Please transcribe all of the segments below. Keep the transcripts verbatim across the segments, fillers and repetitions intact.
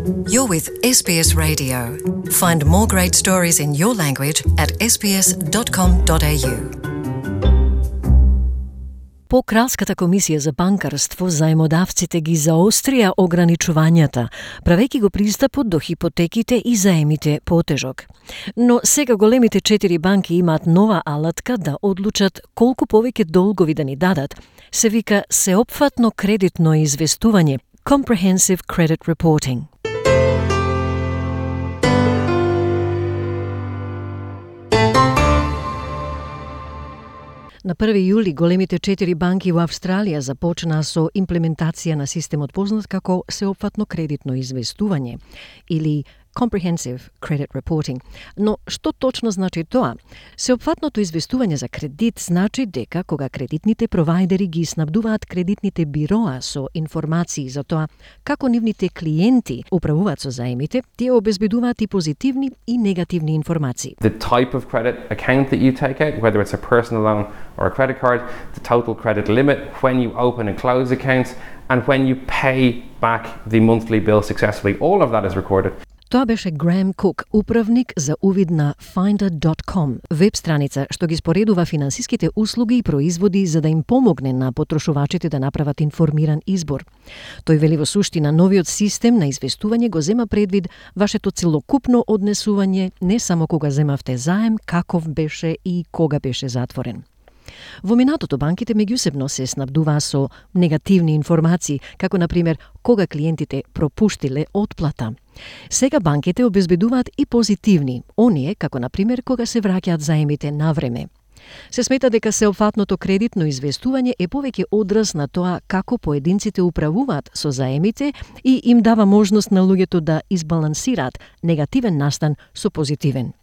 You're with S B S Radio. Find more great stories in your language at s b s dot com dot a u. По Кралската комисија за банкарство, заемодавците ги заострија ограничувањата, правејќи го пристапот до хипотеките и заемите потежок. Но сега големите четири банки имаат нова алатка да одлучат колку повеќе долгови да ни дадат. Се вика сеопфатно кредитно известување, Comprehensive Credit Reporting. На први јули големите четири банки во Австралија започнаа со имплементација на системот познат како сеопфатно кредитно известување или Comprehensive Credit Reporting. Но што точно значи тоа? Сеопфатното известување за кредит значи дека кога кредитните провајдери ги снабдуваат кредитните бироа со информации за тоа како нивните клиенти управуваат со заемите, тие обезбедуваат и позитивни и негативни информации. The type of credit account that you take out, whether it's a personal loan or a credit card, the total credit limit, when you open and close accounts, and when you pay back the monthly bill successfully. All of that is recorded. Тоа беше Греем Кук, управник за увид на Finder dot com, веб страница што ги споредува финансиските услуги и производи за да им помогне на потрошувачите да направат информиран избор. Тој вели во суштина новиот систем на известување го зема предвид вашето целокупно однесување не само кога земавте заем, каков беше и кога беше затворен. Во минатото банките меѓусебно се снабдуваа со негативни информации, како на пример кога клиентите пропуштиле отплата. Сега банките обезбедуваат и позитивни, оние како на пример кога се враќаат заемите на време. Се смета дека сеопфатното кредитно известување е повеќе одраз на тоа како поединците управуваат со заемите и им дава можност на луѓето да избалансираат негативен настан со позитивен.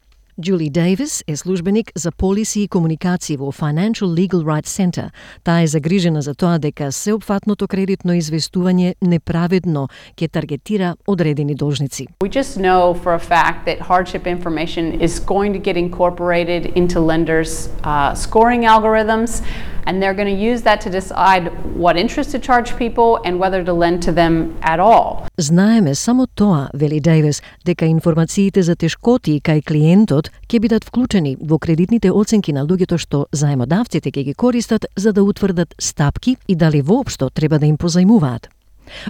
Julie Davis е службеник за полиси и комуникации во Financial Legal Rights Center. Таа е загрижена за тоа дека сеопфатното кредитно известување неправедно ќе таргетира одредени должници. We just know for a fact that hardship information is going to get incorporated into lenders' uh, scoring algorithms, and they're going to use that to decide what interest to charge people and whether to lend to them at all. Знаеме само тоа, вели Дейвис, дека информациите за тешкоти кај клиентот ќе бидат вклучени во кредитните оценки на луѓето што заемодавците ќе ги користат за да утврдат стапки и дали воопшто треба да им позајмуваат.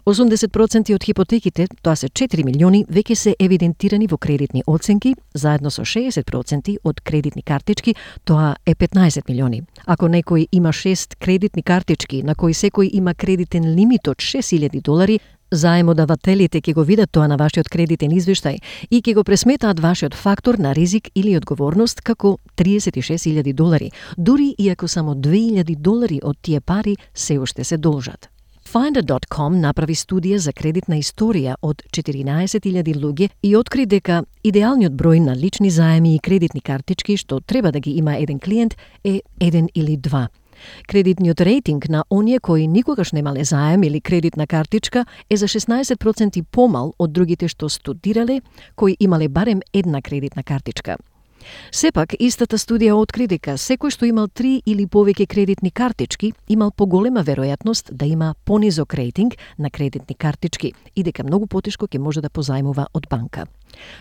осумдесет проценти од хипотеките, тоа се четири милиони, веќе се евидентирани во кредитни оценки, заедно со шеесет проценти од кредитни картички, тоа е петнаесет милиони. Ако некој има шест кредитни картички, на кои секој има кредитен лимит од шест илјади долари, заемодавателите ќе го видат тоа на вашиот кредитен извештај и ќе го пресметаат вашиот фактор на ризик или одговорност како триесет и шест илјади долари, дури и ако само две илјади долари од тие пари се уште се должат. Finder dot com направи студија за кредитна историја од четиринаесет илјади луѓе и откри дека идеалниот број на лични заеми и кредитни картички што треба да ги има еден клиент е еден или два. Кредитниот рейтинг на оние кои никогаш немале заем или кредитна картичка е за шеснаесет проценти помал од другите што студирале, кои имале барем една кредитна картичка. Сепак, истата студија откри дека секој што имал три или повеќе кредитни картички имал поголема веројатност да има понизок рейтинг на кредитни картички и дека многу потешко ќе може да позајмува од банка.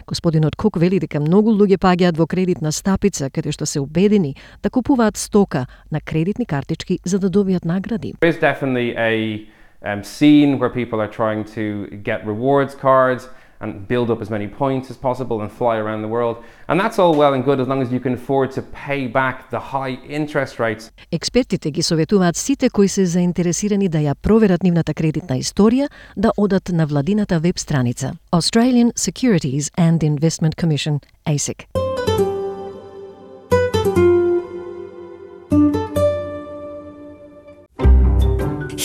Господинот Кук вели дека многу луѓе паѓаат во кредитна стапица каде што се убедени да купуваат стока на кредитни картички за да добијат награди. There is definitely a um, scene where people are trying to get rewards cards and build up as many points as possible and fly around the world. And that's all well and good as long as you can afford to pay back the high interest rates. Експертите ги советуваат сите кои се заинтересирани да ја проверат нивната кредитна историја да одат на владината веб страница Australian Securities and Investment Commission, A S I C.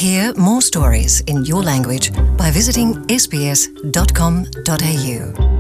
Hear more stories in your language by visiting s b s dot com dot a u.